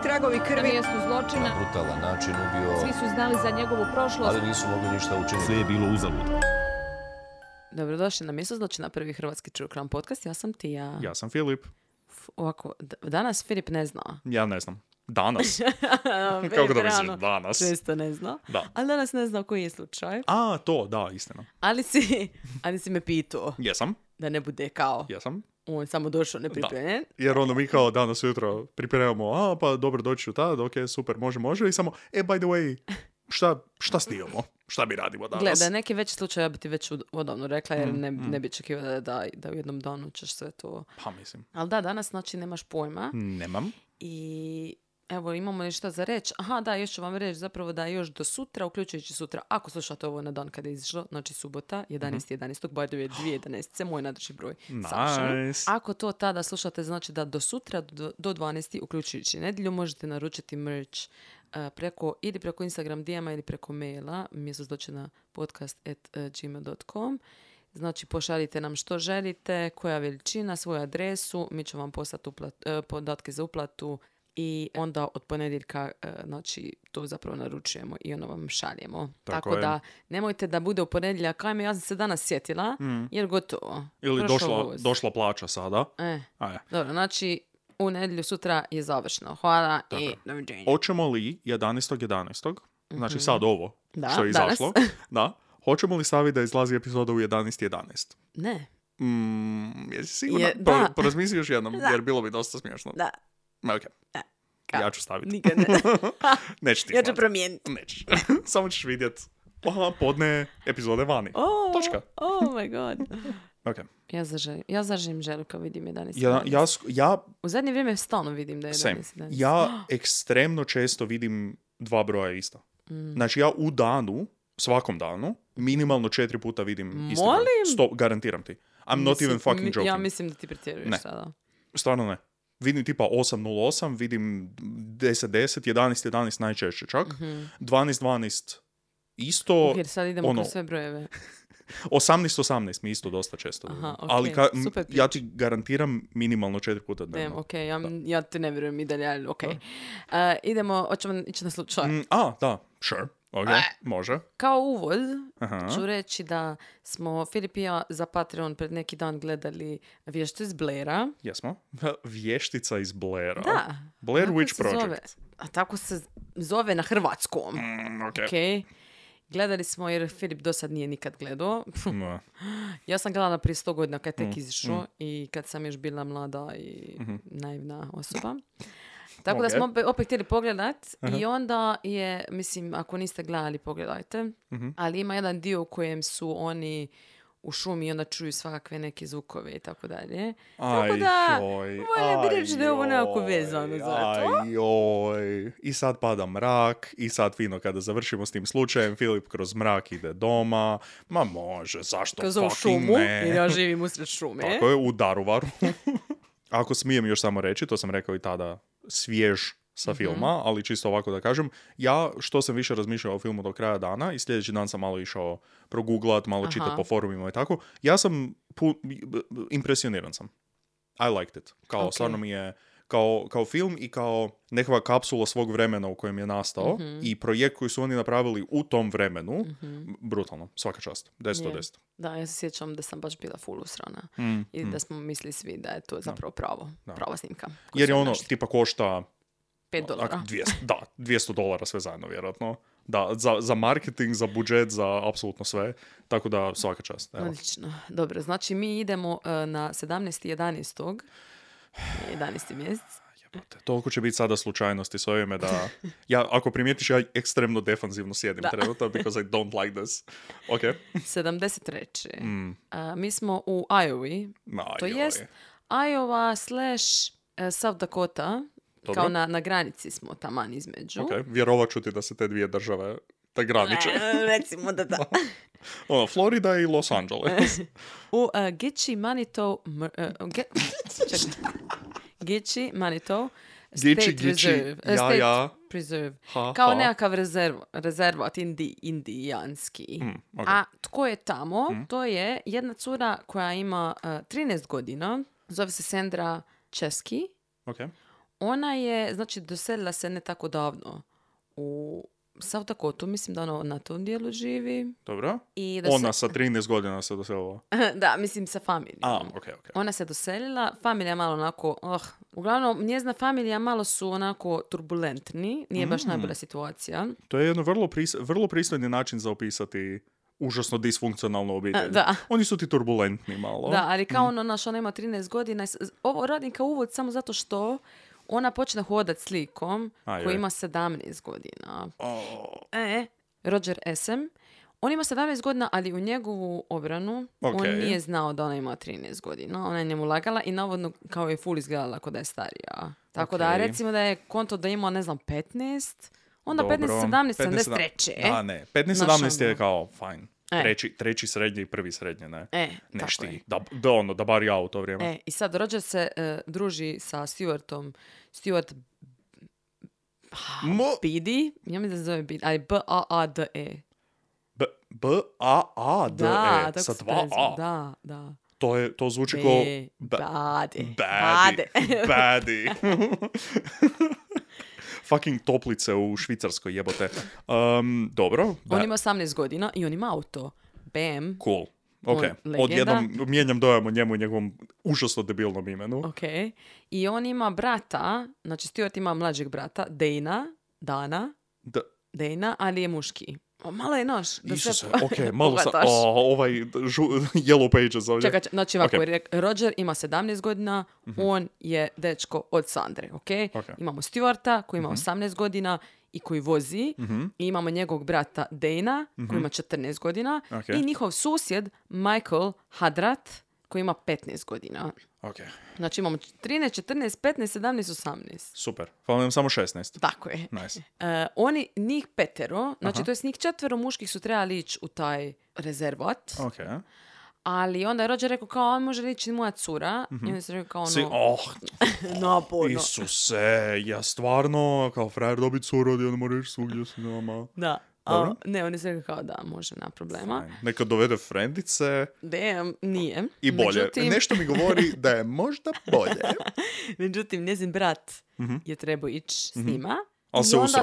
tragovi Na krvi. mjestu zločina. Na brutalan način ubio, Svi su znali za njegovu prošlost. ali nisu mogli ništa učiniti. Sve je bilo uzalud. Dobrodošli na mjesto zločina, prvi hrvatski True Crime podcast. Ja sam Tija. Ja sam Filip. Ovako, danas Filip ne zna. Ja ne znam. Danas? Kako da misliš danas? Često ne zna. Da. Ali danas ne zna koji je slučaj. A, to, da, istina. Ali si me pitao Jesam, da ne bude kao jesam. on samo došao nepripremljen. Jer onda mi kao danas ujutro pripremamo, pa dobro doći ću tad, ok, super, može. I samo, by the way, šta snimamo? Šta mi radimo danas? Gleda, neki veći slučaj ja bi ti već odavno rekla, jer ne bi očekivala da u jednom danu ćeš sve to. Pa mislim. Ali da, danas znači nemaš pojma. Nemam. I evo, imamo nešto za reći. Aha, da, još ću vam reći zapravo da još do sutra, uključujući sutra, ako slušate ovo na dan kada je izašlo, znači subota, 11.11. by the way, 2011. Moj nadreći broj. Savršeno. Nice. Ako to tada slušate, znači da do sutra, do 12. uključujući nedjelju, možete naručiti merch preko Instagram DM-a ili preko maila, mjesto zločina podcast@gmail.com. Znači, pošaljite nam što želite, koja veličina, svoju adresu, mi ćemo vam poslati podatke za uplatu i onda od ponedjeljka, znači, to zapravo naručujemo i ono vam šaljemo. Tako je. da, nemojte da bude u ponedjeljak, ajme, ja sam se danas sjetila, jer gotovo. Ili Prošao voz. došla plaća sada. Dobro, znači, u nedjelju sutra je završno. Hvala Tako i je. doviđenja. Hoćemo li 11.11. Znači sad ovo Da, što je izašlo. Da. Hoćemo li staviti da izlazi epizoda u 11.11? Ne. Jesi sigurno? Da. Porazmisli još jednom, Da. jer bilo bi dosta smiješno. Da. Ok. Ja ću staviti. Nikad ne. Neću ti Ja ću hvatat. promijeniti. Nećeš. Samo ćeš vidjet. Aha, podne epizode vani. Točka. Oh my god. Ok. Ja zaželim želu kad vidim 11. Ja U zadnje vrijeme stalno vidim da je 11. same. Ja ekstremno često vidim dva broja ista. Znači ja u danu, svakom danu, minimalno 4 puta vidim isti broj. Molim? Garantiram ti. I'm not even fucking joking. Ja mislim da ti pretjeruješ Ne. sada. Stvarno ne. Vidim tipa 8.08, vidim 10.10, 11.11 najčešće čak. 12.12 isto. Jer sad idemo kroz sve brojeve. 18.18 mi isto dosta često. Aha, ok, Ali super ja ti garantiram minimalno 4 puta dnevno. Ok, ja te ne vjerujem i dalje, ali ok. Idemo, hoćemo ići na slučaj. Da, sure. Ok, može. Kao uvod Aha. ću reći da smo Filip i ja za Patreon pred neki dan gledali Vješticu iz Blaira. Jesmo. Vještica iz Blaira. Da. Blair Tako Witch se zove. Project. A tako se zove na hrvatskom. Ok. Ok. Gledali smo jer Filip do sad nije nikad gledao. No. Ja sam gledala prije 100 godina kad je tek izišao i kad sam još bila mlada i naivna osoba. Tako da smo opet htjeli pogledat i onda je, mislim, ako niste gledali, pogledajte. Ali ima jedan dio u kojem su oni u šumi i onda čuju svakakve neke zvukove i tako dalje. Tako da, voljela bi reći da je ovo nekako vezano za to. I sad pada mrak, i sad fino kada završimo s tim slučajem, Filip kroz mrak ide doma. Ma može, zašto Kroz ovu fucking šumu, ne? jer ja živim usred šume. Tako je, u Daruvaru. Ako smijem još samo reći, to sam rekao i tada, svjež sa filma, ali čisto ovako da kažem, ja što sam više razmišljao o filmu do kraja dana i sljedeći dan sam malo išao proguglat, malo čitati po forumima i tako, ja sam impresioniran sam. I liked it. Kao, stvarno mi je kao film i kao nekakva kapsula svog vremena u kojem je nastao i projekt koji su oni napravili u tom vremenu, brutalno, svaka čast, 10 od 10. Da, ja se sjećam da sam baš bila full usrana i da smo mislili svi da je to zapravo prava snimka. Jer je ono, tipa košta $5. $200 sve zajedno, vjerojatno. Da, za marketing, za budžet, za apsolutno sve. Tako da svaka čast. Evo. Odlično. Dobro, znači mi idemo na 17.11. 11. mjesec. Jebote, toliko će biti sada slučajnosti s ovime da... Ja, ako primijetiš, ja ekstremno defanzivno sjedim trenutno, because I don't like this. Ok. 73. Mi smo u Iowa. To jest Iowa / South Dakota. Dobro. Kao na granici smo taman između. Ok, vjerovat ću ti da se te dvije države te graniče. Recimo da. Ono, Florida i Los Angeles. U Gitche, Manitou... Gitche, Manitou State Reserve. State Preserve. Kao nekakav rezervat indijanski. Okay. A tko je tamo? To je jedna cura koja ima 13 godina. Zove se Sandra Chesky. Ok. Ona je, znači, doselila se ne tako davno u South Dakota, mislim da ona na tom dijelu živi. Dobro. I ona sa 13 godina se doselila. Da, mislim sa familijom. Okay. Ona se doselila, familija malo onako, uglavnom, njezina familija malo su onako turbulentni, nije baš najbolja situacija. To je jedan vrlo pristojni način za opisati užasno disfunkcionalnu obitelj. Da. Oni su ti turbulentni malo. Da, ali kao ona ima 13 godina. Ovo radim kao uvod samo zato što ona počne hodat s likom koji ima 17 godina. Roger SM. On ima 17 godina, ali u njegovu obranu on nije znao da ona ima 13 godina. Ona je njemu lagala i navodno kao je full izgledala kod da je starija. Tako da recimo da je konto da ima, 15, onda 15, 17, 73. Da, ne. 15, 17 je kao fine. Treći srednji i prvi srednji, ne? Nešti. Da bar ja u to vrijeme. I sad Roger se druži sa Stuartom. Stuart Beatty. Ja mi da se zove Beatty. Ali B-A-A-D-E. B-A-A-D-E. Da, sa 2-A. Da. To zvuči kao... Badi. Fucking toplice u Švicarskoj, jebote. Dobro. On ima 18 godina i on ima auto. Bam. Cool. Ok. Odjednom mijenjam dojam o njemu i njegovom užasno debilnom imenu. Ok. I on ima brata, znači Stuart ima mlađeg brata, Dana, ali je muški. Malo je noš. Isuse, ok, malo sam... ovaj Yellow Pages ovdje. Čekaj, znači ovako, Roger ima 17 godina, on je dečko od Sandre, ok? Imamo Stuarta koji ima 18 godina i koji vozi, i imamo njegovog brata Dana koji ima 14 godina, i njihov susjed Michael Hadrat koji ima 15 godina. Okay. Znači imamo 13, 14, 15, 17, 18. Super. Hvala nam samo 16. Tako je. Nice. Njih 5, znači to je njih 4 muških su trebali ići u taj rezervat. Okay. Ali onda je Roger rekao kao, on može ići moja cura. I onda se rekao kao naporno. Isuse, ja stvarno kao frajer dobiti curu, da ne moraš ići svugdje s nama. Da. Ne, on je se rekao kao da, može, nema problema. Fine. Neka dovede frendice. Nije. I bolje. Međutim... Nešto mi govori da je možda bolje. Međutim, njezin brat je trebao ići s njima. Ali i onda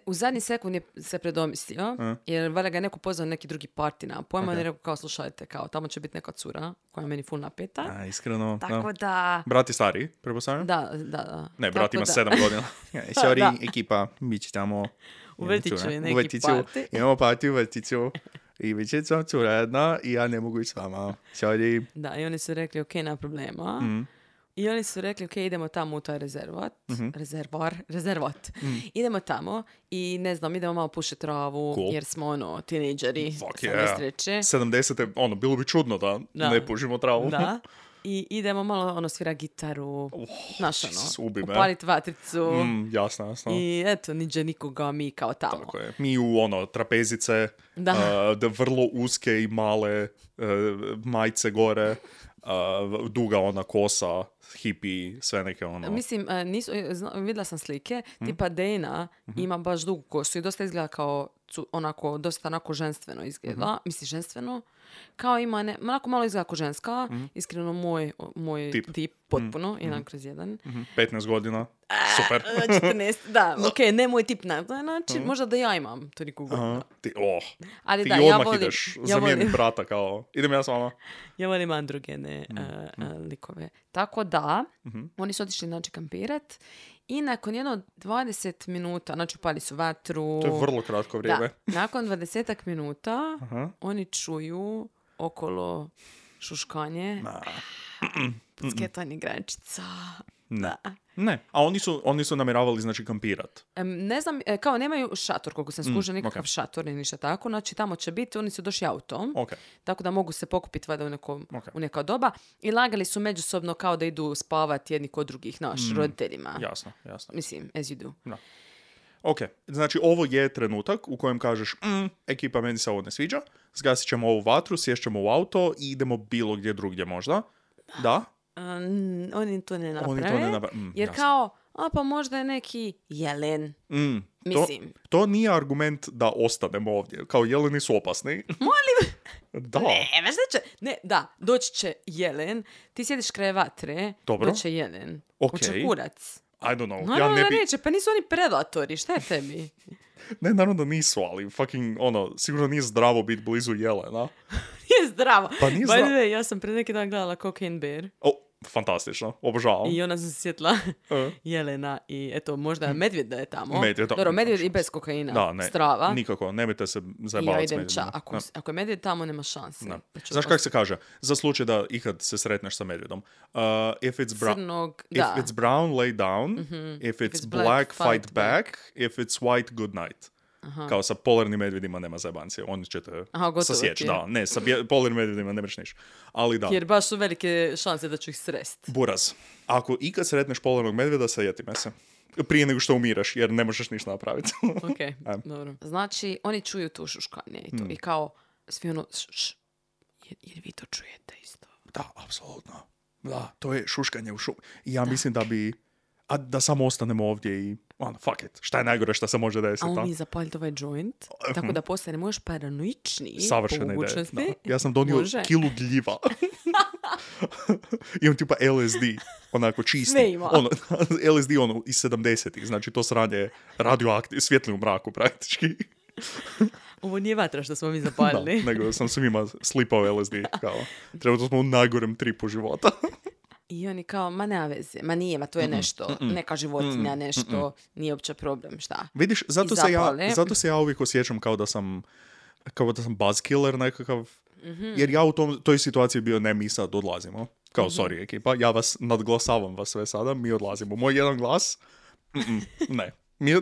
u zadnji sekund je se predomislio, jer valjda ga je neko pozvao neki drugi party na pojma, i rekao kao, slušajte, kao, tamo će biti neka cura koja je meni full napeta. Iskreno. Tako da... Brat je stariji, prepostavljam? Da. Ne, brat ima 7 godina. Sorry, ekipa, mi će tamo... U vrtiću je neki party. Imamo party u vrtiću. I vi će sam cura jedna i ja ne mogu ići s vama. Sorry. Da, i oni su rekli, ok, nema problema. I oni su rekli, ok, idemo tamo u taj rezervat. Idemo tamo i ne znam, idemo malo pušiti travu, jer smo tinejdžeri. Fuck yeah. 70. Bilo bi čudno da ne pušimo travu. Da. I idemo malo svira gitaru, upaliti vatricu. Jasno. I eto, niđe nikoga, mi kao tamo. Tako je. Mi u trapezice, vrlo uske i male majice gore, duga kosa, hippie, sve neke Mislim, vidjela sam slike, tipa Dana ima baš dugu kosu i dosta izgleda kao dosta ženstveno izgleda. Mislim, ženstveno. Kao ima, malo izgleda kao ženska. Iskreno, moj tip potpuno, 1/1. 15 godina. Super. 14, da, ok, ne moj tip na taj način. Možda da ja imam toliko godina. Ali ti odmah ideš zamijeni brata kao, idem ja s vama. Ja volim androgene likove. Tako da, oni su otišli kampirat i nakon 20 minuta, znači upali su vatru. To je vrlo kratko vrijeme. Da, nakon 20 minuta oni čuju okolo šuškanje, pucketanje grančica. Ne, a oni su namjeravali, znači, kampirat. Ne znam, kao nemaju šator, koliko sam skužila, nikakav šator ni ništa tako, znači tamo će biti, oni su došli autom, tako da mogu se pokupiti valjda u neka doba i lagali su međusobno kao da idu spavati jedni kod drugih, roditeljima. Jasno. Mislim, as you do. No. Ok, znači ovo je trenutak u kojem kažeš, ekipa, meni se ovo ne sviđa, zgasit ćemo ovu vatru, sješćemo u auto i idemo bilo gdje drugdje možda. Da? Oni to ne naprave. Jer jasno. Kao, pa možda je neki jelen. Mislim. To nije argument da ostanemo ovdje. Kao, jeleni su opasni. Molim. Da. Doći će jelen. Ti sjediš kraj vatre. Dobro. Doći će jelen. Okay. Hoće kurac. I don't know. Naravno da neće, pa nisu oni predatori, šta je tebi? Ne, naravno da nisu, ali fucking, sigurno nije zdravo biti blizu jelena. Nije zdravo. Pa nije zdravo. By the way, ja sam pred neki dan gledala Cocaine Bear. Fantastično, obožavam. I ona se sjetila jelena i eto, možda medvjed da je tamo. Dobro, medvjed i bez kokaina. Da, ne, strava. Nikako, nemojte se zajebavati s medvjedom. Ako je medvjed tamo, nema šanse. Znaš kako se kaže? Za slučaj da ikad se sretneš sa medvjedom. If it's brown, lay down. If it's black, fight back. If it's white, good night. Aha. Kao sa polarnim medvjedima nema zajebancije. Oni će te sasjeći. Da, ne, sa polarnim medvjedima ne mreš niš. Ali da. Jer baš su velike šanse da ću ih srest. Buraz. Ako ikad sretneš polarnog medvjeda, sajeti me se. Prije nego što umiraš, jer ne možeš ništa napraviti. Ok, dobro. Znači, oni čuju tu šuškanje i to. I kao, svi ono, jer vi to čujete isto. Da, apsolutno. Da, to je šuškanje u šumi. I ja mislim da bi... A da samo ostanemo ovdje i fuck it. Šta je najgore što se može desiti? A mi zapaljiti ovaj joint, tako da postanemo još paranoičniji. Savršena ideja. Ja sam donio kilu gljiva. Imam tipa LSD, onako čisti. Sve ima. LSD iz 70-ih, znači to sranje radioaktivno, svijetli u mraku praktički. Ovo nije vatra što smo mi zapalili. Da, nego sam svima slipao LSD. Trebalo smo u najgorem tripu života. I oni kao, ma nema veze, ma nije, ma to je nešto, neka životinja, nešto, nije uopće problem, šta? Vidiš, zato se ja uvijek osjećam kao da sam buzzkiller nekakav, jer ja u toj situaciji bio ne, mi sad odlazimo. Kao, sorry ekipa, ja vas nadglasavam vas sve sada, mi odlazimo. Moj jedan glas, ne.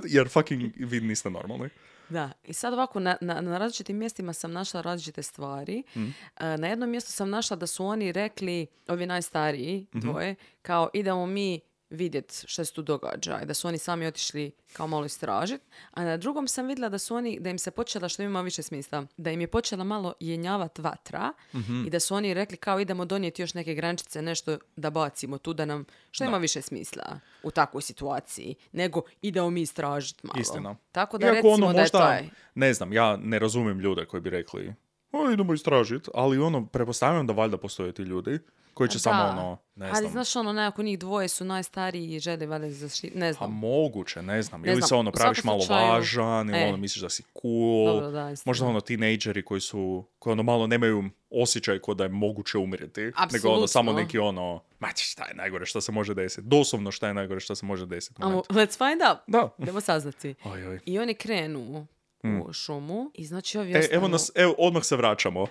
Jer fucking vi niste normalni. Da, i sad ovako, na različitim mjestima sam našla različite stvari. Na jednom mjestu sam našla da su oni rekli, ovi najstariji dvoje, kao idemo mi vidjeti što se tu događa i da su oni sami otišli kao malo istražiti. A na drugom sam vidjela da im se počela, što ima više smisla, da im je počela malo jenjavati vatra i da su oni rekli kao idemo donijeti još neke grančice, nešto da bacimo tu da nam, što ima više smisla u takvoj situaciji, nego idemo mi istražiti malo. Istina. Tako da recimo možda, da je taj. Ne znam, ja ne razumijem ljude koji bi rekli idemo istražiti, ali pretpostavljam da valjda postoje ti ljudi koji će samo ne znam. Ali znaš nekako njih dvoje su najstariji i žele valjda zaštiti, ne znam. A moguće, ne znam. Ili se praviš malo važan, ili misliš da si cool. Dobro, da, možda tinejdžeri koji malo nemaju osjećaj ko da je moguće umrijeti. Apsolutno. Nego samo neki šta je najgore što se može desiti. Doslovno šta je najgore što se može desiti. Let's find out. Da. Idemo saznati. Oj. I oni krenu u šumu i znači ovi ostanu... Evo odmah se vraćamo.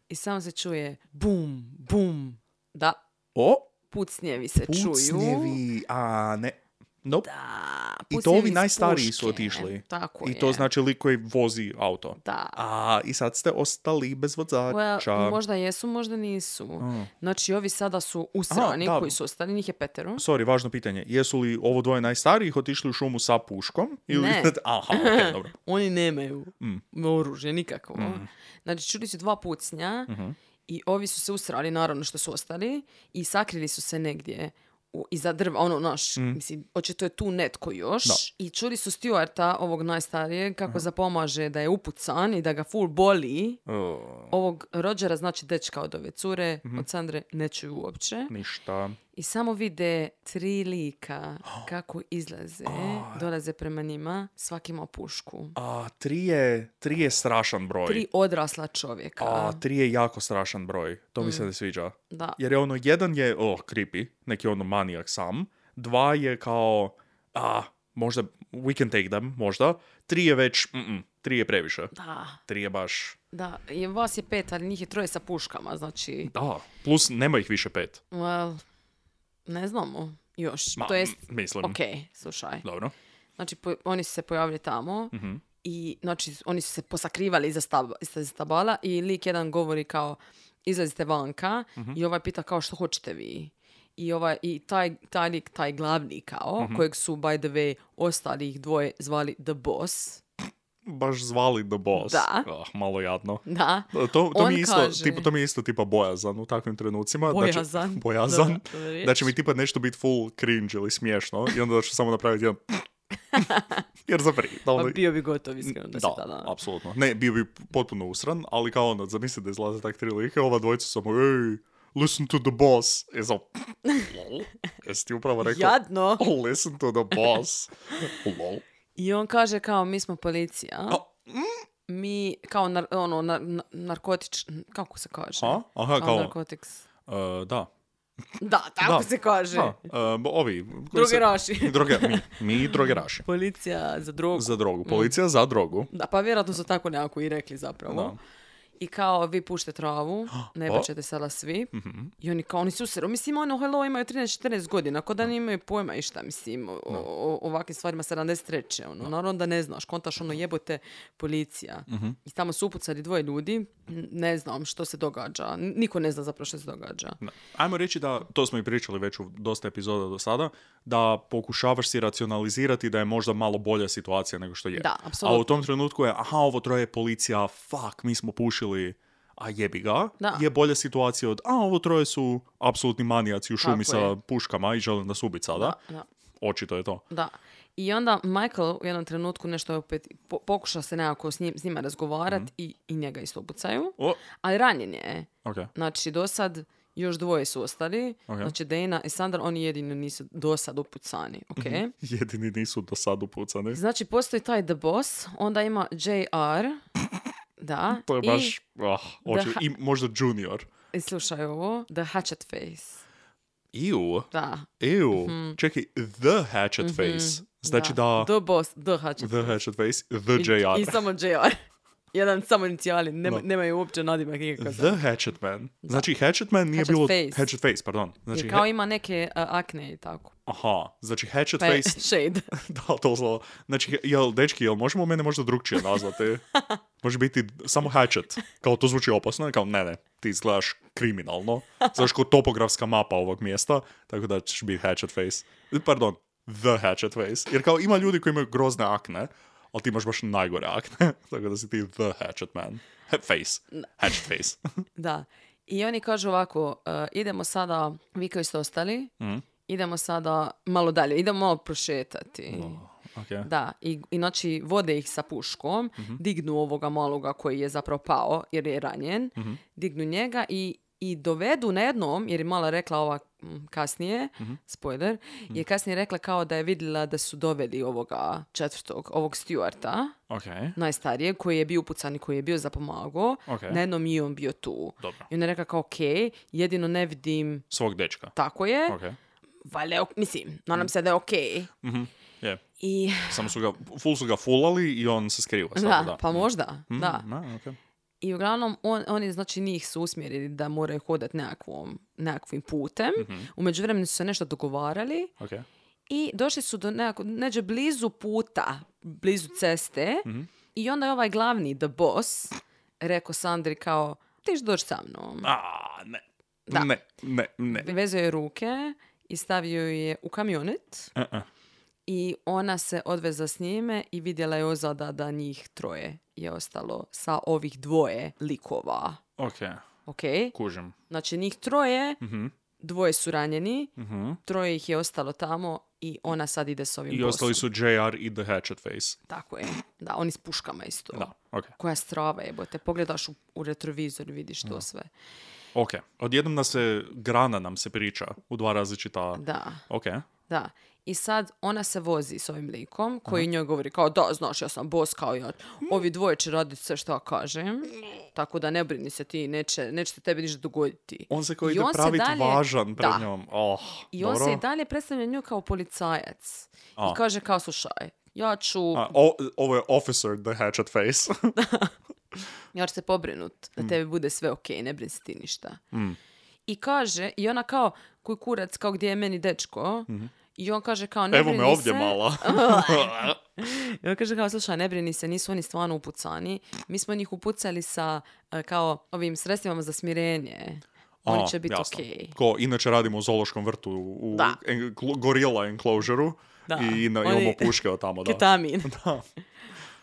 I samo se čuje bum, bum. Da. Pucnjevi se čuju. Pucnjevi, ne. Nope. Da, i to ovi najstariji su otišli. Tako I to znači lik koji vozi auto. Da. I sad ste ostali bez vozača. Možda jesu, možda nisu. Znači, ovi sada su usrani koji su ostali, njih je 5. Sorry, važno pitanje. Jesu li ovo dvoje najstarijih otišli u šumu sa puškom? Ili... Ne. Aha, okay, dobro. Oni nemaju oružje, nikako. Znači, čuli su 2 pucnja i ovi su se usrali, naravno što su ostali, i sakrili su se negdje iza drva, mislim, očito je tu netko još. Da. I čuli su Stuarta, ovog najstarijeg, kako zapomaže da je upucan i da ga full boli. Ovog Rodgera, znači dečka od ove cure, od Sandre, ne čuju uopće. Ništa. I samo vide 3 lika kako izlaze, dolaze prema njima, svaki ima pušku. 3 je strašan broj. 3 odrasla čovjeka. 3 je jako strašan broj. To mi se ne sviđa. Da. Jer je jedan je, creepy, neki manijak sam. 2 je kao, možda, we can take them, možda. 3 je već, 3 je previše. Da. 3 je baš... Da, i vas je 5, ali njih je 3 sa puškama, znači... Da, plus nema ih više 5. Well... Ne znamo još. To jest, mislim. Ok, slušaj. Dobro. Znači, oni su se pojavili tamo i znači, oni su se posakrivali iza stabala i lik jedan govori kao izlazite vanka i ovaj pita kao što hoćete vi. I taj lik, taj glavni kao, kojeg su, by the way, ostalih 2 zvali The Boss. Baš zvali The Boss. Da. Malo jadno. Da. To mi je isto tipa bojazan u takvim trenucima. Bojazan. Bojazan. Da će mi tipa nešto biti full cringe ili smiješno i onda ću samo napraviti jedan... Jer zapri. Bio bi gotov iskreno da se tada. Da, apsolutno. Ne, bio bi potpuno usran, ali kao zamisli da izlaze tak 3 like, ova dvojica samo, listen to the boss. Jesi ti upravo rekao? Jadno. Listen to the boss. Lol. I on kaže kao, mi smo policija. Mi, kao narkotič... Kako se kaže? Aha, kao... narkotics. Da. Da, tako se kaže. Ovi. Drogeraši. Mi drogeraši. Policija za drogu. Za drogu. Policija za drogu. Da, pa vjerojatno su tako nekako i rekli zapravo. Da. I kao, vi pušte travu, ne baćete sada svi. Mm-hmm. I oni su seru. Mislim, hello, imaju 13-14 godina, ako da ne imaju pojma išta, mislim, o ovakvim stvarima 73. Naravno da ne znaš, kontaš jebote policija. Mm-hmm. I tamo su upucali 2 ljudi, ne znam što se događa. Niko ne zna zapravo što se događa. Da. Ajmo reći da, to smo i pričali već u dosta epizoda do sada, da pokušavaš si racionalizirati da je možda malo bolja situacija nego što je. Da, apsolutno. A u tom trenutku je, ovo troje policija, mi smo pušili, a jebi ga, je bolja situacija od, ovo troje su apsolutni manijaci u šumi sa puškama i želim da su ubica, sada. Da. Očito je to. Da. I onda Michael u jednom trenutku nešto opet pokuša se nekako s njima razgovarati i njega isto upucaju. Ali ranjen je. Okay. Znači, do sad još 2 su ostali. Okay. Znači, Dana i Sandra, oni jedini nisu do sad upucani. Okay? Jedini nisu do sad upucani. Znači, postoji taj The Boss, onda ima JR. Da. To je baš... I možda Junior. I slušaj ovo. The Hatchet Face. Ew. Da. Ew. Mm-hmm. Čekaj, The Hatchet Face. Znači da... The Boss, The Hatchet Face. The Hatchet Face, The JR. I samo JR. Jedan samo inicijali, nemaju uopće nadimak nikakav. The Hatchet Man. Znači, Hatchet Man nije bilo... Hatchet Face, pardon. Znači, jer kao ima neke akne i tako. Aha, znači Hatchet Face... Shade. Da, to zlo. Znači, dečki, jel možemo mene možda drugčije nazvati? Može biti samo Hatchet. Kao to zvuči opasno, kao ne, ti izgledaš kriminalno. Znaš kao topografska mapa ovog mjesta, tako da ćeš biti Hatchet Face. Pardon, The Hatchet Face. Jer kao ima ljudi koji imaju grozne akne, ali ti imaš baš najgore akne, tako da si ti The Hatchet Man. Face. Hatchet Face. Da. I oni kažu ovako, idemo sada, vi koji ste ostali, idemo sada malo dalje, idemo malo prošetati. Okay. Da, i znači vode ih sa puškom, dignu ovoga maloga koji je zapravo pao jer je ranjen, dignu njega i dovedu na jednom, jer je mala rekla ova kasnije, spoiler, je kasnije rekla kao da je vidjela da su doveli ovoga 4. ovog Stewarta, najstarijeg, koji je bio upucan i koji je bio za pomago, na jednom i on bio tu. Dobro. I ona je rekla kao jedino ne vidim... svog dečka. Tako je. Valjda, mislim, nadam se da je Yeah. I... Samo su ga fulali i on se skriva. Da, pa možda, da. Okay. I uglavnom, oni znači njih su usmjerili da moraju hodati nekakvim putem. U međuvremenu su se nešto dogovarali. I došli su do neđe blizu puta, blizu ceste. I onda je ovaj glavni, The Boss, rekao Sandri kao, ti ćeš doći sa mnom. Ne. Da. Ne. Vezao je ruke i stavio je u kamionet. I ona se odveza s njime i vidjela je ozada da njih 3 je ostalo sa ovih 2 likova. Ok. Kužim. Znači njih 3, 2 su ranjeni, 3 ih je ostalo tamo i ona sad ide s ovim bossom. I ostali su JR i The Hatchet Face. Tako je. Da, oni s puškama isto. Da, ok. Koja strava jebote. Pogledaš u retrovizor i vidiš to sve. Ok. Odjednom grana nam se priča u 2 različita... Da. Ok. Da. I sad ona se vozi s ovim likom koji njoj govori kao da, znaš, ja sam boss kao ja. Ovi 2 će raditi sve što ja kažem. Tako da ne brini se ti, neće tebi ništa dogoditi. On se kao ide praviti važan pred njom. I on se i dalje predstavlja nju kao policajac. I kaže kao, slušaj, ja ću... Ovo je Officer The Hatchet Face. Ja ću se pobrinut da tebi bude sve ok, ne brini se ti ništa. I kaže, i ona kao, kuj kurac, kao gdje je meni dečko... I on kaže kao, ne brini se... Evo me ovdje mala. I on kaže kao, slušaj, ne brini se, nisu oni stvarno upucani. Mi smo njih upucali sa kao ovim sredstvima za smirenje. Oni će biti okej. Ko inače radimo u zoološkom vrtu u gorila enclosure-u i imamo puške od tamo. Ketamin. Da.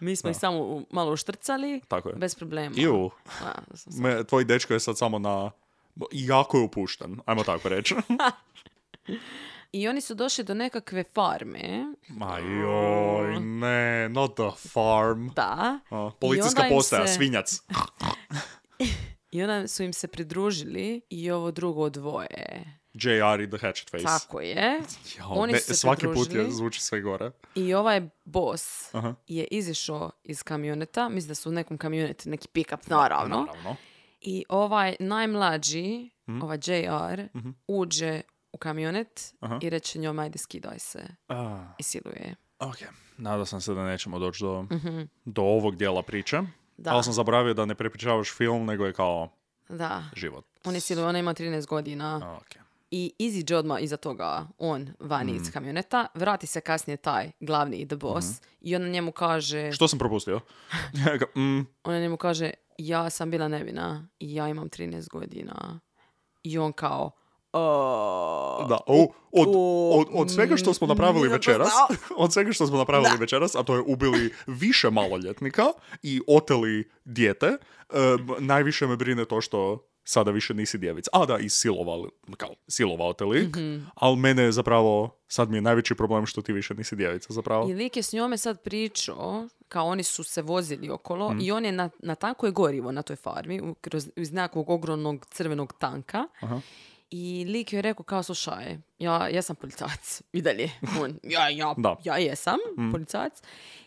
Mi smo ih samo malo uštrcali, bez problema. Tvoj dečko je sad samo na... jako je upušten, ajmo tako reći. I oni su došli do nekakve farme. Ajoj, ne, not the farm. Da. Policijska postaja, svinjac. I onda su im se pridružili i ovo drugo dvoje. JR i The Hatchet Face. Tako je. Oni su se svaki pridružili. put zvuči sve gore. I ovaj boss je izišao iz kamioneta. Mislim da su u nekom kamionetu, neki pick-up, naravno. I ovaj najmlađi, ovaj JR, uđe u kamionet i reče njom, ajde skidaj se. I siluje. Ok, nadao sam se da nećemo doći do ovog dijela priče. Da. Ali sam zaboravio da ne prepričavaš film, nego je kao život. On je siluje, ona ima 13 godina. Okay. I iziđe odmah iza toga on vani iz kamioneta. Vrati se kasnije taj glavni, the boss. I on njemu kaže... Što sam propustio? On njemu kaže, ja sam bila nevina i ja imam 13 godina. I on kao... Da, od svega što smo napravili večeras, a to je ubili više maloljetnika i oteli dijete, najviše me brine to što sada više nisi djevica. A da, i silovao te lik, ali mene je zapravo, sad mi je najveći problem što ti više nisi djevica zapravo. I lik je s njome sad pričao, kao oni su se vozili okolo i on je na tanko je gorivo na toj farmi, iz nekog ogromnog crvenog tanka. I lik je rekao kao, slušaj, ja sam policajac. I dalje. Ja jesam policajac.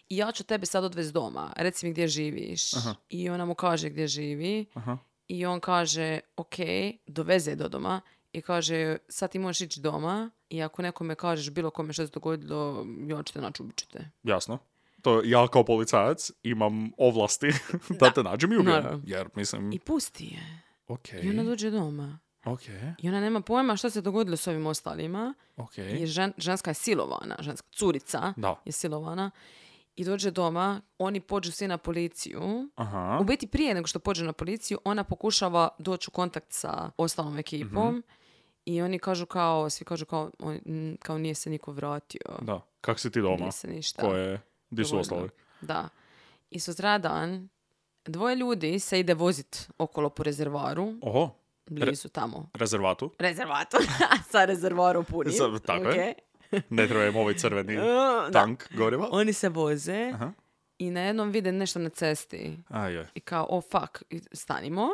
I ja ću tebe sad odvesti doma. Reci mi gdje živiš. I ona mu kaže gdje živi. I on kaže, ok, doveze do doma. I kaže, sad ti možeš ići doma. I ako nekome kažeš bilo kome što se dogodilo, ja ću te naći, ubit ću te. Jasno. To ja kao policajac imam ovlasti da te nađem i ubijem. Jer, mislim... I pusti je. Okay. I ona dođe doma. Okay. I ona nema pojma što se dogodilo s ovim ostalima. Jer ženska je silovana, ženska curica je silovana. I dođe doma, oni pođu svi na policiju. U biti prije nego što pođe na policiju, ona pokušava doći u kontakt sa ostalom ekipom. I oni kažu svi kažu kao nije se niko vratio. Da, kak si ti doma? Nije se ništa. Gdje su ostali? Da. I sutradan, dvoje ljudi se ide vozit okolo po rezervaru. Oho. Blizu tamo. Rezervatu. Sa rezervarom punim. Tako je. Ne treba im ovaj crveni tank goriva. Oni se voze i na jednom vide nešto na cesti. I kao, fuck, stanimo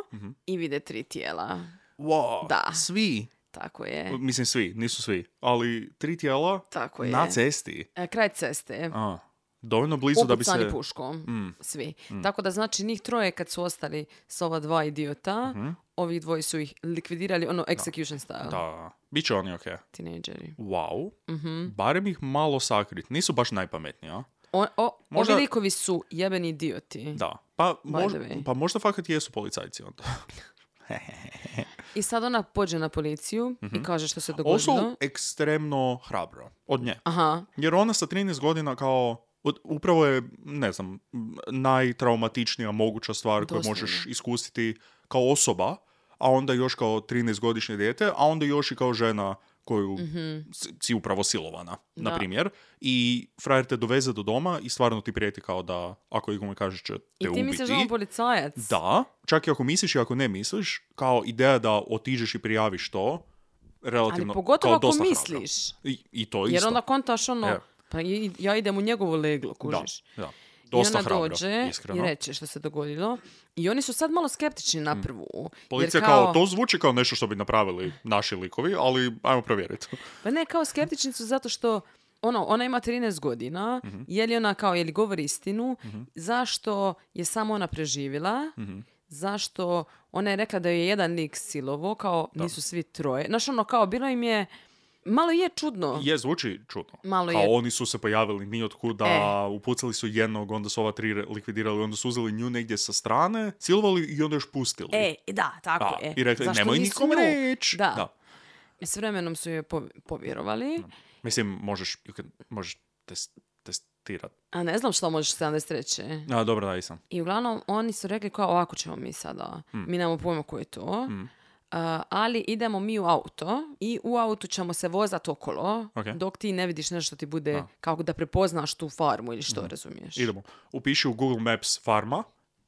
i vide 3 tijela. Wow, da. Svi? Tako je. Mislim svi, nisu svi. Ali 3 tijela na cesti. Kraj ceste. Dovoljno blizu da bi se... Upucani puškom. Svi. Tako da znači njih 3 kad su ostali s ova 2 idiota, ovih 2 su ih likvidirali, execution style. Da, bit će oni okej. Tinejdžeri. Wow. Barem ih malo sakrit. Nisu baš najpametniji, a? Ovi likovi su jebeni idioti. Da. Pa možda fakat jesu policajci onda. I sad ona pođe na policiju i kaže što se dogodilo. Ovo su ekstremno hrabro od nje. Jer ona sa 13 godina kao... Upravo je, ne znam, najtraumatičnija moguća stvar koju možeš iskusiti kao osoba, a onda još kao 13-godišnje dijete, a onda još i kao žena koju si upravo silovana, na primjer. I frajer te doveze do doma i stvarno ti prijeti kao da ako ikome kažeš će te ubiti. I ti misliš da on policajac? Da, čak i ako misliš i ako ne misliš, kao ideja da otiđeš i prijaviš to, relativno, ali pogotovo kao dosta ako misliš. I to isto. Jer onda kontaš pa ja idem u njegovo leglo, kužiš. Da. Dosta I ona hrabro, dođe iskreno. I reče što se dogodilo. I oni su sad malo skeptični na prvu. Policija kao, to zvuči kao nešto što bi napravili naši likovi, ali ajmo provjeriti. Pa ne, kao skeptični su zato što ona ima 13 godina, je li govori istinu, zašto je samo ona preživjela, zašto ona je rekla da je jedan lik silovo, kao nisu svi 3. Znaš, kao bilo im je, malo je čudno. Je, zvuči čudno. Malo kao oni su se pojavili nijotkuda, upucali su jednog, onda su ova 3 likvidirali, onda su uzeli nju negdje sa strane, silovali i onda još pustili. Da, tako je. I rekli, nemoj nikom reći. Da. I s vremenom su je povjerovali. Mislim, možeš testirati. A ne znam što možeš 73. Dobro, da, sam. I uglavnom, oni su rekli kao, ovako ćemo mi sada. Mi nemamo pojma ko je to. Ali idemo mi u auto i u autu ćemo se vozati okolo dok ti ne vidiš nešto ti bude kako da prepoznaš tu farmu ili što, razumiješ. Idemo. Upiši u Google Maps farma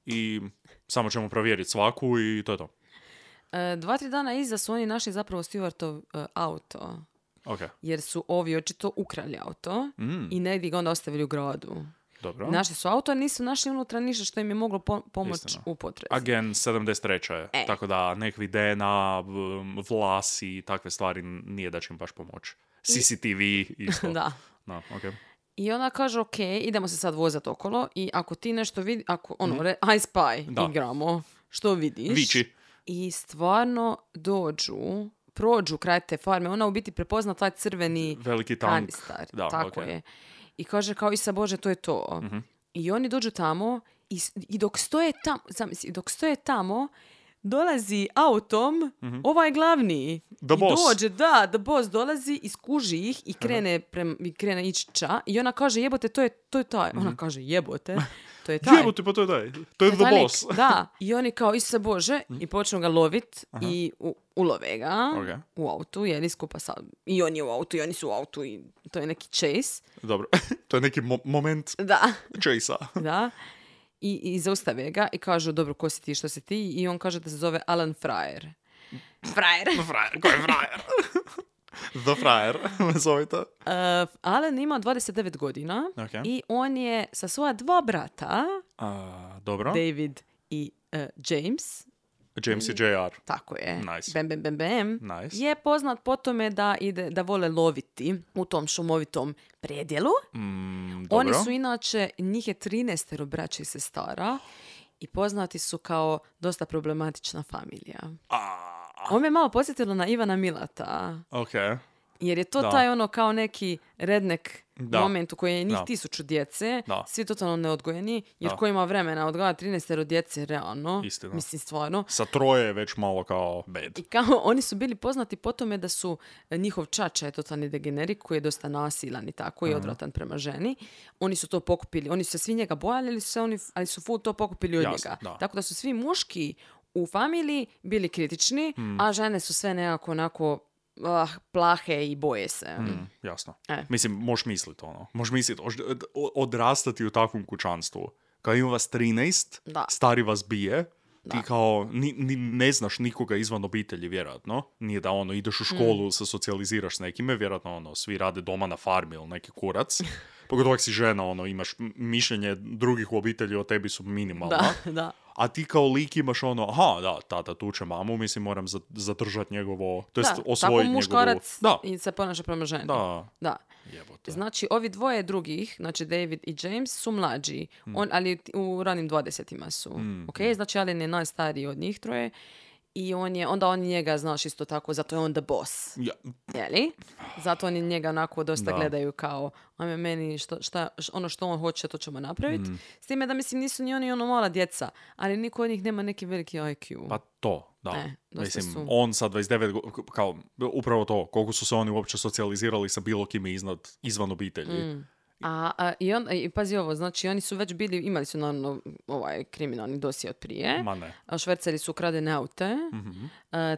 i samo ćemo provjeriti svaku i to je to. 2-3 dana iza su oni našli zapravo Stewartov auto. Okay. Jer su ovi očito ukrali auto i negdje ga onda ostavili u gradu. Dobro. Našli su auto, nisu našli unutra ništa što im je moglo pomoći Istina. u potrezi. Again, 73. je. Tako da nekakvi DNA, vlasi i takve stvari nije da će im baš pomoći. CCTV isto. Da. No, okay. I ona kaže, ok, idemo se sad vozati okolo i ako ti nešto vidi, ako I Spy igramo, što vidiš? Viči. I stvarno prođu kraj te farme, ona u biti prepozna taj crveni veliki tank. kanistar. Da, tako okay. je. I kaže kao, Isa Bože, to je to. I oni dođu tamo i dok stoje tamo, dolazi autom ovaj glavni. The boss. Dođe, the boss dolazi, iskuži ih i krene ići ča. I ona kaže, jebote, to je taj. Ona kaže, jebote, to je taj. Jebote, pa to je taj. To je the boss. Da. I oni kao, Isuse Bože, i počnu ga lovit i ulove ga u autu, jer skupa sa... I on je u autu, i oni su u autu, i to je neki chase. Dobro, to je neki moment chase-a. Da. I zaustave ga i kažu, dobro, ko si ti, što si ti? I on kaže da se zove Alan Fryer. Fryer? Ko je Fryer? The Fryer, me zovite. Alan ima 29 godina i on je sa svoja 2 brata, dobro. David i James. James i JR. Tako je. Nice. Bam. Nice. Je poznat po tome da vole loviti u tom šumovitom predjelu. Oni su inače, njih je 13 braća i sestara i poznati su kao dosta problematična familija. Ovo me malo podsjetilo na Ivana Milata. Okay. Jer je to taj ono kao neki redneck moment u kojem je njih 1000 djece, svi totalno neodgojeni, jer ko ima vremena odgojati 13 djece, realno, Istina. mislim stvarno. Sa 3 je već malo kao bad. I kao oni su bili poznati po tome da su njihov čača je totalni degenerik koji je dosta nasilan i tako i odvratan prema ženi. Oni su to pokupili, oni su se svi njega bojali, ali su full to pokupili od njega. Da. Tako da su svi muški u familiji bili kritični, a žene su sve nekako onako plahe i boje se. Jasno. Mislim, možeš misliti odrastati u takvom kućanstvu. Kao ima vas 13, stari vas bije, ti kao ne znaš nikoga izvan obitelji, vjerojatno. Nije da ideš u školu, se socijaliziraš s nekime, vjerojatno svi rade doma na farmi ili neki kurac. Pogotovo si žena, imaš mišljenje drugih u obitelji o tebi su minimalna. Da. A ti kao lik imaš tata tuče mamu, mislim moram zadržati njegovo, to jest osvojiti njegovu... Tako muškarac i se ponaša prema ženi. Da. Jebote. Znači, ovi dvoje drugih, znači David i James, su mlađi, ali u ranim 20-ima su. Okay? Znači, Alan je najstariji od njih troje. I onda oni njega, znaš, isto tako, zato je on the boss. Jeli? Zato oni njega onako dosta gledaju kao, ajme meni, ono što on hoće, to ćemo napraviti. S time da, mislim, nisu ni oni mala djeca, ali niko od njih nema neki veliki IQ. Pa to, da. Mislim, on sa 29, kao, upravo to, koliko su se oni uopće socijalizirali sa bilo kime izvan obitelji. I pazi ovo, znači oni su već imali su naravno kriminalni dosje od prije. Švercali su ukradene aute.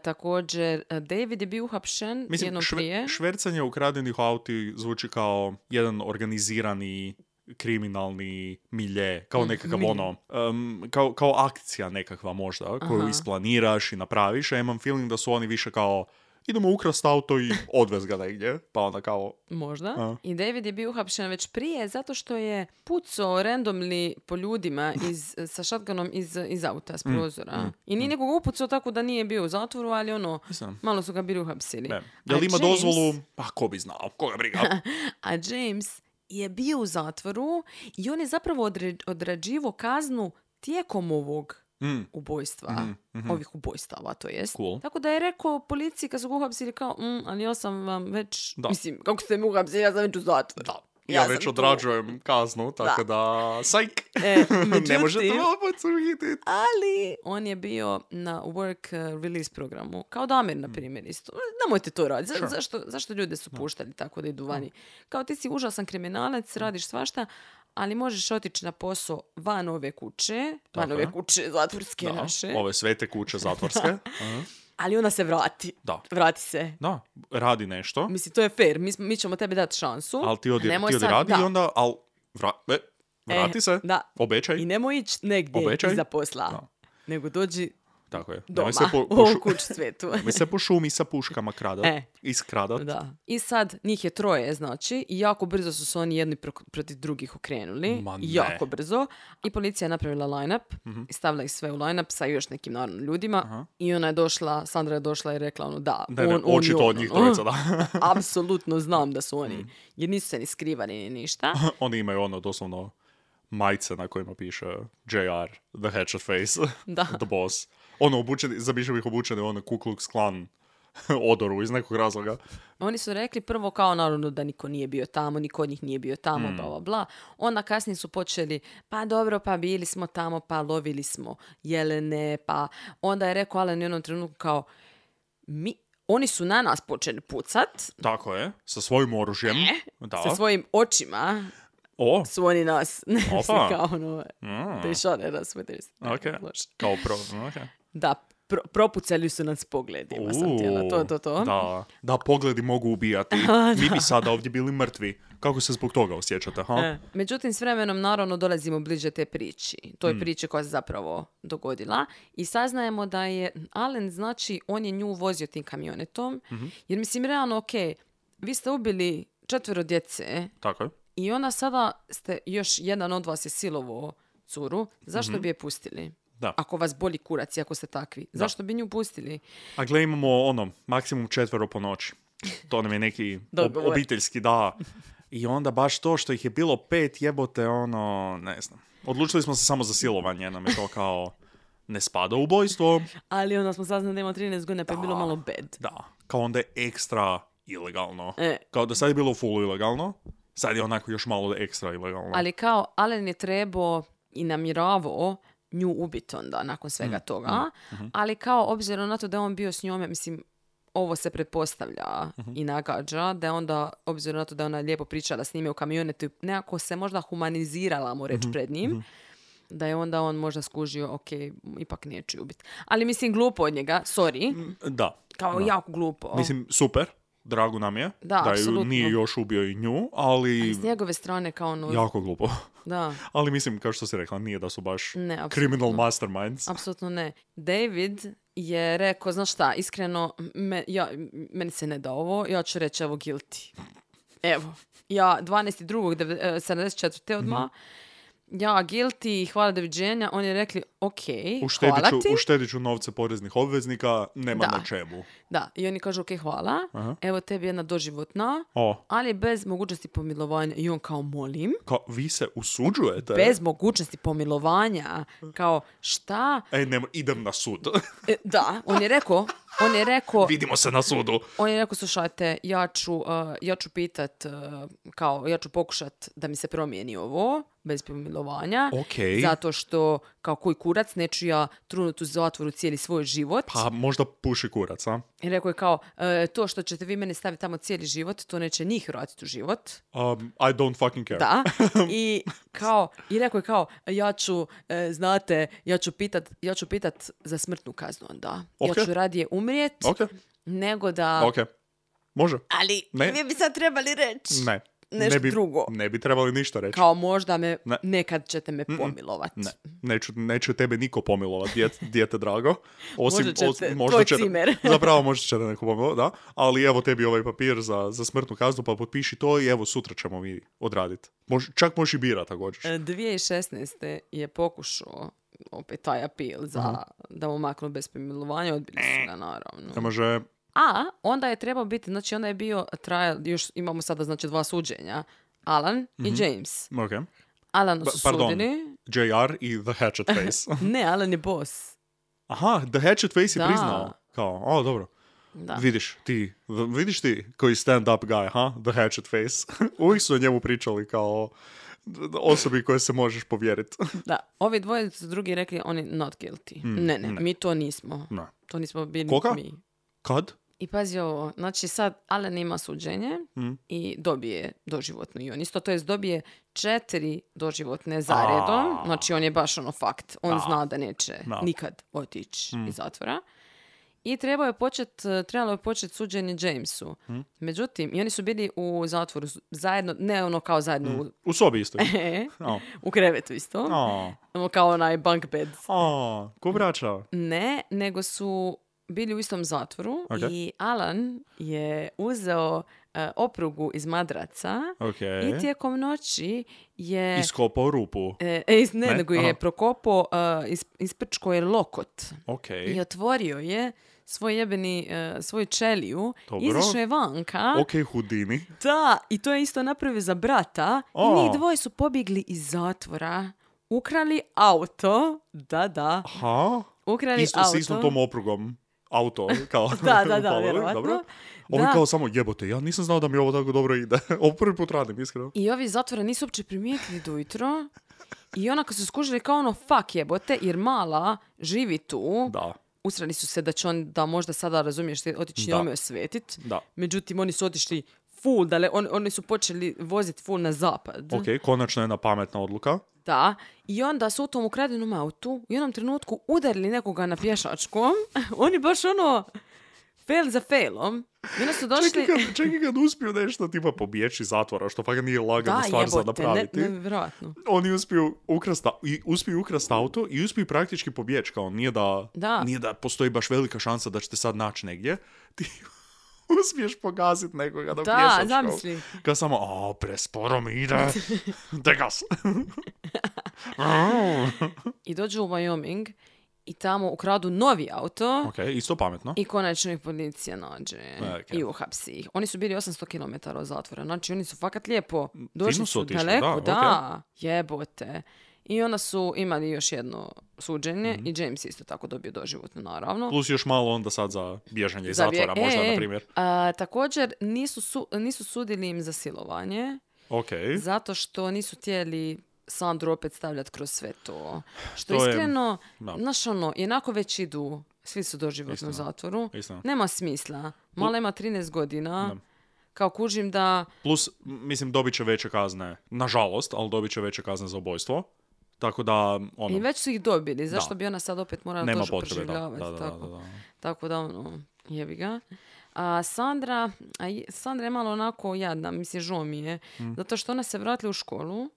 Također, David je bio uhapšen jednom prije. Švercanje ukradenih auti zvuči kao jedan organizirani kriminalni milje, kao nekakav kao akcija nekakva možda, koju isplaniraš i napraviš, a imam feeling da su oni više kao idemo ukrast auto i odvez ga negdje. Pa onda kao... Možda. I David je bio uhapšen već prije zato što je pucao randomly po ljudima sa shotgunom iz auta, s prozora. I nije nekoga upucao tako da nije bio u zatvoru, ali malo su ga bili uhapsili. Jel ima dozvolu? Pa ko bi znao, koga briga. A James je bio u zatvoru i on je zapravo odrađivao kaznu tijekom ovog ubojstva, ovih ubojstava, to jest. Cool. Tako da je rekao policiji kad su ga uhapsili kao, ali ja sam vam već, mislim, kako ste mi uhapsili, ja sam već u zatvoru. Da. Ja već odrađujem kaznu, tako da sajk, ne možete opet suhititi. Ali on je bio na work release programu, kao Damir, na primjer, isto. Nemojte to raditi. Zašto ljude su puštali tako da idu vani? Kao ti si užasan kriminalac, radiš svašta, ali možeš otići na posao van ove kuće, ove kuće zatvorske naše. Ove svete kuće zatvorske. Ali ona se vrati. Vrati se. Da, radi nešto. Mislim, to je fair. Mi ćemo tebi dati šansu. Ali ti odi radi i onda... vrati se. Da. Obećaj. I nemoj ići negdje iza posla. Nego dođi Tako je. doma, u kuć svetu. Mi se po šumi sa puškama kradat. Iskradat. Da. I sad, njih je 3, znači, i jako brzo su se oni jedni protiv drugih okrenuli. Jako brzo. I policija je napravila line-up i stavila ih sve u line-up sa još nekim naravno ljudima. I ona je došla, Sandra je došla i rekla očito od njih trojica, da. Apsolutno znam da su oni. Jer nisu se ni skrivali ni ništa. Oni imaju doslovno majice na kojima piše JR, the hatchet face, the boss. Zamišljam ih obučeni Ku Klux Klan odoru iz nekog razloga. Oni su rekli prvo kao naravno da niko nije bio tamo, niko od njih nije bio tamo, bla, bla, bla. Onda kasnije su počeli, pa dobro, pa bili smo tamo, pa lovili smo jelene, pa onda je rekao Alan u jednom trenutku kao, oni su na nas počeli pucat. Tako je, sa svojim oružjem. Sa svojim očima. Su oni nas, kao they shot at us with this. Kao Da, propucali su nas pogledima, sam htjela, to. Da, pogledi mogu ubijati. Mi bi sada ovdje bili mrtvi. Kako se zbog toga osjećate, ha? Međutim, s vremenom, naravno, dolazimo bliže te priči. Toj priči koja se zapravo dogodila. I saznajemo da je Alan, znači, on je nju vozio tim kamionetom. Jer, mislim, realno, vi ste ubili 4 djece. Tako je. I onda sada još jedan od vas je silovo curu. Zašto bi je pustili? Da. Ako vas boli kurac i ako ste takvi. Da. Zašto bi nju pustili? A gle, imamo maksimum 4 po noći. To nam je neki obiteljski, da. I onda baš to što ih je bilo 5 jebote, ne znam. Odlučili smo se samo za silovanje, nam je to kao ne spada u ubojstvo. Ali onda smo saznali da ima 13 godina, pa je bilo malo bad. Da, kao onda je ekstra ilegalno. Kao da sad je bilo full ilegalno, sad je onako još malo ekstra ilegalno. Ali kao Alan je trebao i namjeravao nju ubiti onda nakon svega toga, ali kao obzirom na to da je on bio s njome, mislim, ovo se pretpostavlja i nagađa, da je onda, obzirom na to da je ona lijepo pričala s njime u kamionetu, nekako se možda humanizirala, mu reći, pred njim, da je onda on možda skužio, ipak neću ubiti. Ali mislim, glupo od njega, sorry. Da. Kao jako glupo. Mislim, super. Drago nam je da nije još ubio i nju, ali s njegove strane kao jako glupo. Da. Ali mislim, kao što si rekla, nije da su baš criminal masterminds. Apsolutno ne. David je rekao, znaš šta, iskreno, meni se ne da ovo, ja ću reći evo guilty. Evo, ja 12.2.74. odmah, ja guilty, hvala, doviđenja. Oni je rekli, hvala ti. Uštedit ću novce poreznih obveznika, nema na čemu. Da, i oni kažu, hvala, evo tebi jedna doživotna, ali bez mogućnosti pomilovanja. I on kao, molim. Kao, vi se usuđujete? Bez mogućnosti pomilovanja. Kao, šta? Idem na sud. Da, on je rekao... Vidimo se na sudu. On je rekao, slušajte, ja ću pitat, ja ću pokušat da mi se promijeni ovo, bez pomilovanja. Zato što, kao koji kurac, neću ja trunut u zatvoru cijeli svoj život. Pa možda puši kurac, a? I rekao je kao, to što ćete vi mene staviti tamo cijeli život, to neće njih vratiti u život. I don't fucking care. Da. I rekao je kao, ja ću pitat za smrtnu kaznu onda. Ja ću radije umrijet, nego da... Može. Ali vi bi sad trebali reći. Nešto drugo. Ne bi trebali ništa reći. Kao možda nekad ćete me pomilovati. Neće tebe niko pomilovati, dijete drago. Možda ćete, cimer. Zapravo možda ćete neko pomilovati, da. Ali evo tebi ovaj papir za smrtnu kaznu, pa potpiši to i evo sutra ćemo mi odraditi. Čak možeš i birati ako hoćeš. 2016. je pokušao opet taj apel da mu maknu bez pomilovanja, odbili su ga naravno. Ne može... A onda je trebao biti, znači onda je bio trial, još imamo sada znači 2 suđenja, Alan i James. Alan su sudili. JR i the hatchet face. Ne, Alan je boss. Aha, the hatchet face je priznao. Kao, dobro. Da. Vidiš ti koji stand-up guy, the hatchet face. Uvijek su o njemu pričali kao osobi koje se možeš povjeriti. Da, ovi dvoje su drugi rekli oni not guilty. Ne, mi to nismo. Ne. To nismo bili mi. Kad? I pazi ovo, znači sad Alan ima suđenje i dobije doživotnu i on isto, to jest dobije 4 doživotne zaredom, znači on je baš fakt, on zna da neće nikad otići iz zatvora. i trebalo je početi suđenje Jamesu. Međutim, i oni su bili u zatvoru zajedno, ne ono kao zajedno U sobi isto. u krevetu isto. Kao onaj bunk bed. Ko braća? Ne, nego su bili u istom zatvoru i Alan je uzeo oprugu iz madraca i tijekom noći je... Iskopao rupu. Nego je prokopao, isprčko je lokot. Okay. I otvorio je svoju čeliju. Izašao je vanka. Houdini. Da, i to je isto napravio za brata. I njih dvoje su pobjegli iz zatvora. Ukrali auto. Da. Aha. Ukrali auto. S istom tom oprugom. Auto, kao... da, vjerovatno. Dobro. Ovi kao samo jebote, ja nisam znao da mi ovo tako dobro ide. Ovo prvi put radim, iskreno. I ovi zatvora nisu uopće primijetili do ujutro. I onako su skužili kao ono, fuck jebote, jer mala živi tu. Da. Usrali su se da će on, da možda sada razumiješ, otići njome osvetit. Da. Međutim, oni su otišli full, oni su počeli voziti full na zapad. Konačno jedna pametna odluka. Da, i onda su u tom ukradenom autu u jednom trenutku udarili nekoga na pješačkom. Oni baš fail za failom. I onda su došli... Čekaj kad uspiju nešto tipa pobjeći iz zatvora, što pa nije lagano stvar za napraviti. Nevjerojatno. Oni uspiju ukrasti auto i uspiju praktički pobjeći. Kao nije da postoji baš velika šansa da ćete sad naći negdje. Ti uspiješ pogaziti nekoga na pješačkom. Da, zamisli. Kad samo, presporo mi ide. Degas. I dođu u Wyoming i tamo ukradu novi auto. Isto pametno. I konačno ih policija nađe i uhapsi ih. Oni su bili 800 km od zatvora. Znači, oni su fakat lijepo došli su daleko. Da, jebote. I onda su imali još jedno suđenje i James isto tako dobio doživotno, naravno. Plus još malo onda sad za bježanje iz zatvora, možda, na primjer. Također, nisu sudili im za silovanje. Zato što nisu htjeli Sandru opet stavljati kroz sve to. Što iskreno, jednako već idu, svi su doživotno u zatvoru. Nema smisla. Mala ima 13 godina. Kao kužim da... Plus, mislim, dobit će veće kazne. Nažalost, ali dobit će veće kazne za ubojstvo. Tako da, I već su ih dobili. Zašto bi ona sad opet morala to proživljavati? Da. Tako da, jebi ga. A Sandra je malo onako jadna, mislim, žao mi je, zato što ona se vratila u školu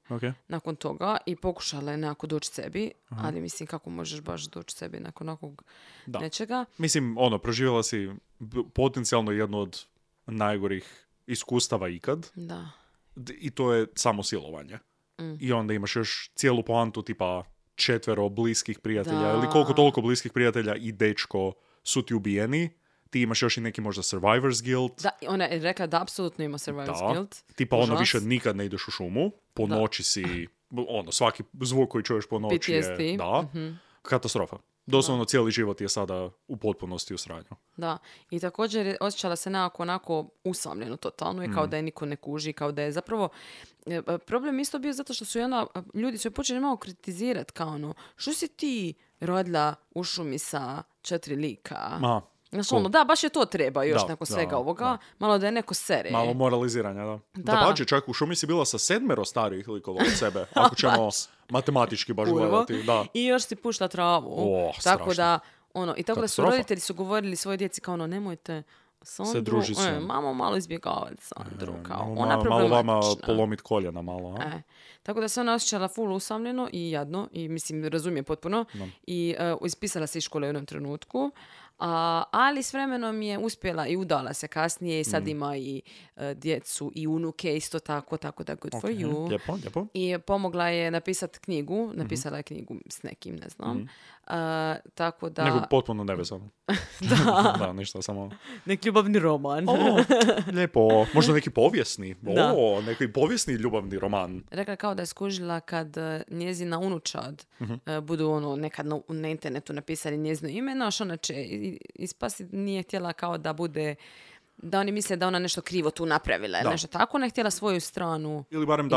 nakon toga i pokušala je nekako doći sebi, ali mislim, kako možeš baš doći sebi nakon nekog nečega. Mislim, proživjela si potencijalno jednu od najgorih iskustava ikad. Da. I to je samo silovanje. I onda imaš još cijelu poantu tipa 4 bliskih prijatelja ili koliko toliko bliskih prijatelja i dečko su ti ubijeni. Ti imaš još i neki možda survivor's guilt. Da, ona je rekla da apsolutno ima survivor's guilt. Tipa više nikad ne ideš u šumu. Po noći si, svaki zvuk koji čuješ po noći PTSD. je katastrofa. Doslovno cijeli život je sada u potpunosti u sranju. Da, i također je osjećala se onako usamljeno totalno i kao da je niko ne kuži, kao da je zapravo... Problem isto bio zato što su ljudi su je počeli malo kritizirati kao što si ti rodila u šumi sa 4 lika? Da, baš je to treba još nakon svega ovoga. Malo da je neko sere. Malo moraliziranja, da pađe, čak u šumi si bila sa 7 starijih likova od sebe. Ako ćemo matematički baš gledati. Da. I još si pušta travu. Tako da, i tako da su roditelji su govorili svojoj djeci kao nemojte Sandru, se druži s mamo malo izbjegavati Sandru. Malo vama polomit koljena malo. Tako da se ona osjećala full usamljeno i jadno. I mislim, razumije potpuno. I ispisala se iz škole u jednom trenutku. Ali s vremenom je uspjela i udala se kasnije i sad ima i djecu i unuke isto tako da good for you. Lijepo. I pomogla je napisati knjigu. Napisala je knjigu s nekim, ne znam. Tako da... Nego potpuno nevezano. Da, ništa, samo... Neki ljubavni roman. Lijepo. Možda neki povijesni. Neki povijesni ljubavni roman. Rekla kao da je skužila kad njezina unučad budu nekad na internetu napisali njezino ime, ona će ispasti, nije htjela kao da bude, da oni misle da ona nešto krivo tu napravila ili nešto tako, ne htjela svoju stranu ili barem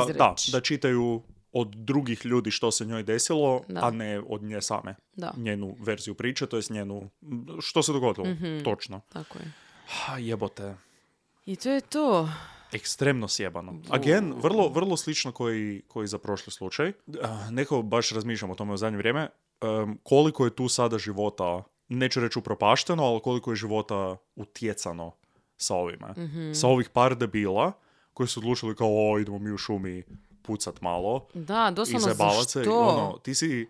da čitaju od drugih ljudi što se njoj desilo, a ne od nje same. Njenu verziju priče, to jest njenu, što se dogodilo, točno. Tako je. Jebote. I to je to. Ekstremno sjebano. Again, vrlo slično koji za prošli slučaj. Neko baš razmišljam o tome u zadnje vrijeme. Koliko je tu sada života neću reći upropašteno, ali koliko je života utjecano sa ovime. Sa ovih par debila koji su odlučili kao, idemo mi u šumi pucat malo. Da, doslovno zašto? I ono, ti si,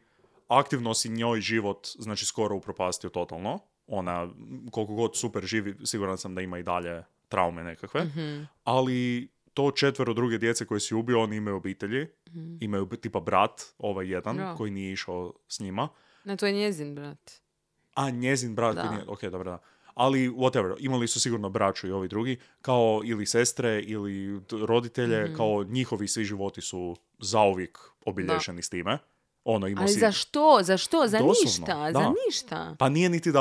aktivno si njoj život, znači skoro upropastio totalno. Ona, koliko god super živi, siguran sam da ima i dalje traume nekakve. Ali to 4 druge djece koje si ubio, oni imaju obitelji. Imaju tipa brat, ovaj jedan, koji nije išao s njima. Ne, to je njezin brat. A, njezin brat koji nije, ok, dobro, da. Ali, whatever, imali su sigurno braću i ovi drugi, kao ili sestre, ili roditelje, kao njihovi svi životi su zauvijek obilježeni s time. Ono, ali za što? Za što? Za doslovno, ništa? da. Za ništa? Pa nije niti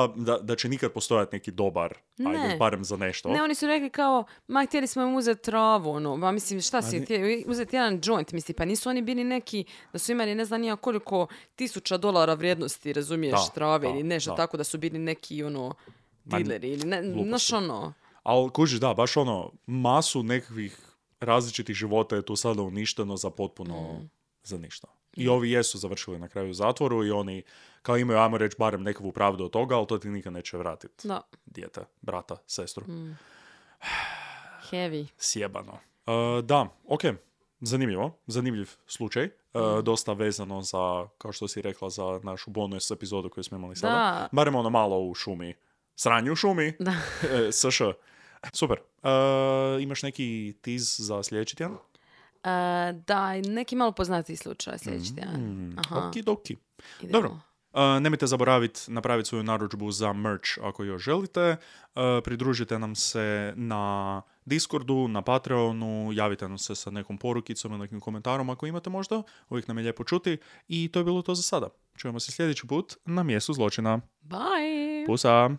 da će nikad postojati neki dobar, ajde, barem za nešto. Ne, oni su rekli kao, htjeli smo im uzeti travu, ono, pa mislim, šta si, uzeti jedan joint, mislim, pa nisu oni bili neki, da su imali ne znam nija koliko $1000 vrijednosti, razumiješ, trave ili nešto tako, da su bili neki, ono, dileri ili znaš ono. Ali kužiš, da, baš ono, masu nekakvih različitih života je tu sada uništeno za potpuno za ništa. I ovi jesu završili na kraju u zatvoru i oni kao imaju, ajmo reći, barem nekakvu pravdu od toga, ali to ti nikad neće vratiti. Da. Dijete, brata, sestru. Heavy. Sjebano. Da, ok. Zanimljiv slučaj. Dosta vezano za, kao što si rekla, za našu bonus epizodu koju smo imali sada. Da. Barem ono malo u šumi. Sranju u šumi. Da. SŠ. Super. Imaš neki tiz za sljedeći tjedan? Da, neki malo poznatiji slučaj sljedeći tjedan. Okidoki. Dobro. Nemojte zaboraviti napraviti svoju narudžbu za merch ako još želite. Pridružite nam se na Discordu, na Patreonu, javite nam se sa nekom porukicom ili nekim komentarom ako imate možda. Uvijek nam je lijepo čuti. I to je bilo to za sada. Čujemo se sljedeći put na mjestu zločina. Bye! Pusa!